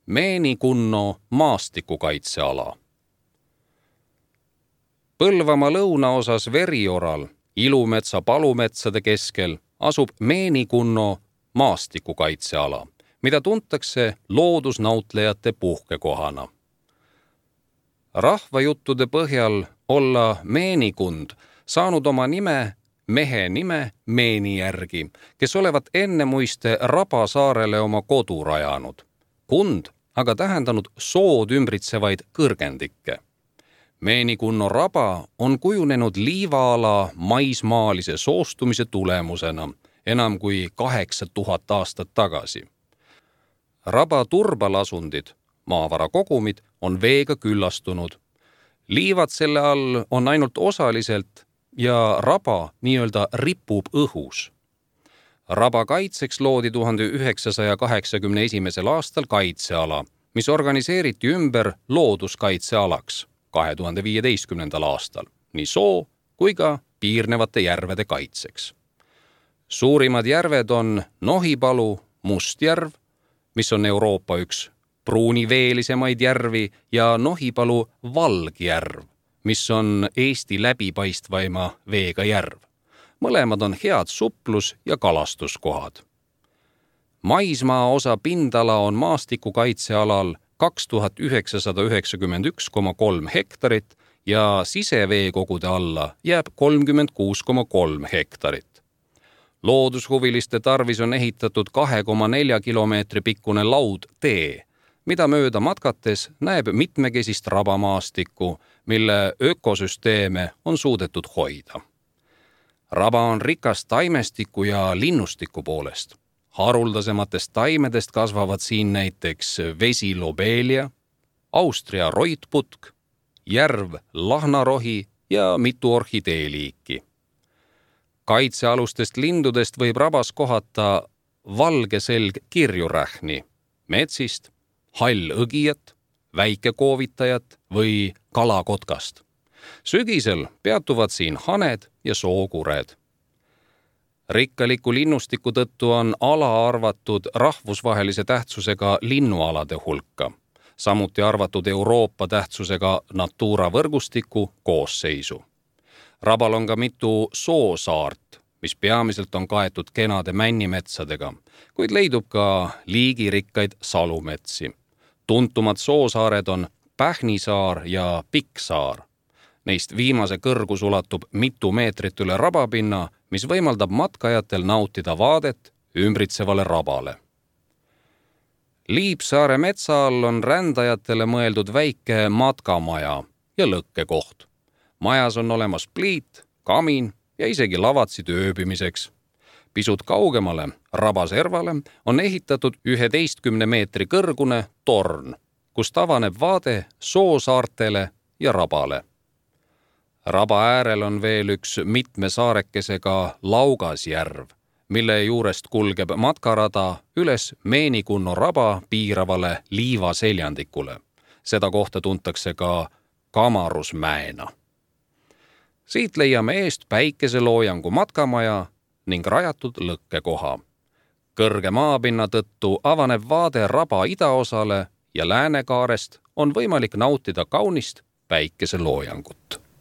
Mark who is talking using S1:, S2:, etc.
S1: Meenikunno maastikukaitseala. Põlvamaa lõunaosas Verioral, Ilumetsa palumetsade keskel, asub Meenikunno maastikukaitseala, mida tuntakse loodusnautlejate puhkekohana. Rahvajuttude põhjal olla Meenikund saanud oma nime mehe nime Meeni järgi, kes olevat ennemuiste Rabasaarele oma kodu rajanud. Kund aga tähendanud sood ümbritsevaid kõrgendikke. Meenikunno raba on kujunenud liivaala maismaalise soostumise tulemusena enam kui 8000 aastat tagasi. Raba turbalasundid, maavarakogumid, on veega küllastunud. Liivad selle all on ainult osaliselt ja raba nii-öelda ripub õhus. Raba kaitseks loodi 1981. aastal kaitseala, mis organiseeriti ümber looduskaitsealaks 2015. aastal, nii soo kui ka piirnevate järvede kaitseks. Suurimad järved on Nohipalu Mustjärv, mis on Euroopa üks pruuniveelisemaid järvi, ja Nohipalu Valgjärv, mis on Eesti läbipaistvaima veega järv. Mõlemad on head suplus- ja kalastuskohad. Maismaa osa pindala on maastikukaitsealal 2991,3 hektarit ja siseveekogude alla jääb 36,3 hektarit. Loodushuviliste tarvis on ehitatud 2,4 kilomeetri pikkune laudtee, mida mööda matkates näeb mitmekesist rabamaastikku, mille ökosüsteeme on suudetud hoida. Raba on rikas taimestiku ja linnustiku poolest. Haruldasematest taimedest kasvavad siin näiteks vesilobelia, Austria roitputk, järv lahnarohi ja mitu orhideeliiki. Kaitsealustest lindudest võib rabas kohata valgeselg kirjurähni, metsist, hallõgijat, väikekoovitajat või kalakotkast. Sügisel peatuvad siin haned ja sookured. Rikkaliku linnustiku tõttu on ala arvatud rahvusvahelise tähtsusega linnualade hulka, samuti arvatud Euroopa tähtsusega Natura võrgustiku koosseisu. Rabal on ka mitu soosaart, mis peamiselt on kaetud kenade männimetsadega, kuid leidub ka liigirikkaid salumetsi. Tuntumad soosaared on Pähnisaar ja Pikksaar. Neist viimase kõrgus ulatub mitu meetrit üle rabapinna, mis võimaldab matkajatel nautida vaadet ümbritsevale rabale. Liipsaare metsa all on rändajatele mõeldud väike matkamaja ja lõkkekoht. Majas on olemas pliit, kamin ja isegi lavatsid ööbimiseks. Pisut kaugemale, rabaservale, on ehitatud 11 meetri kõrgune torn, kust avaneb vaade soosaartele ja rabale. Raba äärel on veel üks mitme saarekesega Laugasjärv, mille juurest kulgeb matkarada üles Meenikunno raba piiravale liivaseljandikule. Seda kohta tuntakse ka Kamarusmäena. Siit leiame eest päikeseloojangu matkamaja ning rajatud lõkkekoha. Kõrge maapinna tõttu avaneb vaade raba idaosale ja läänekaarest on võimalik nautida kaunist päikeseloojangut.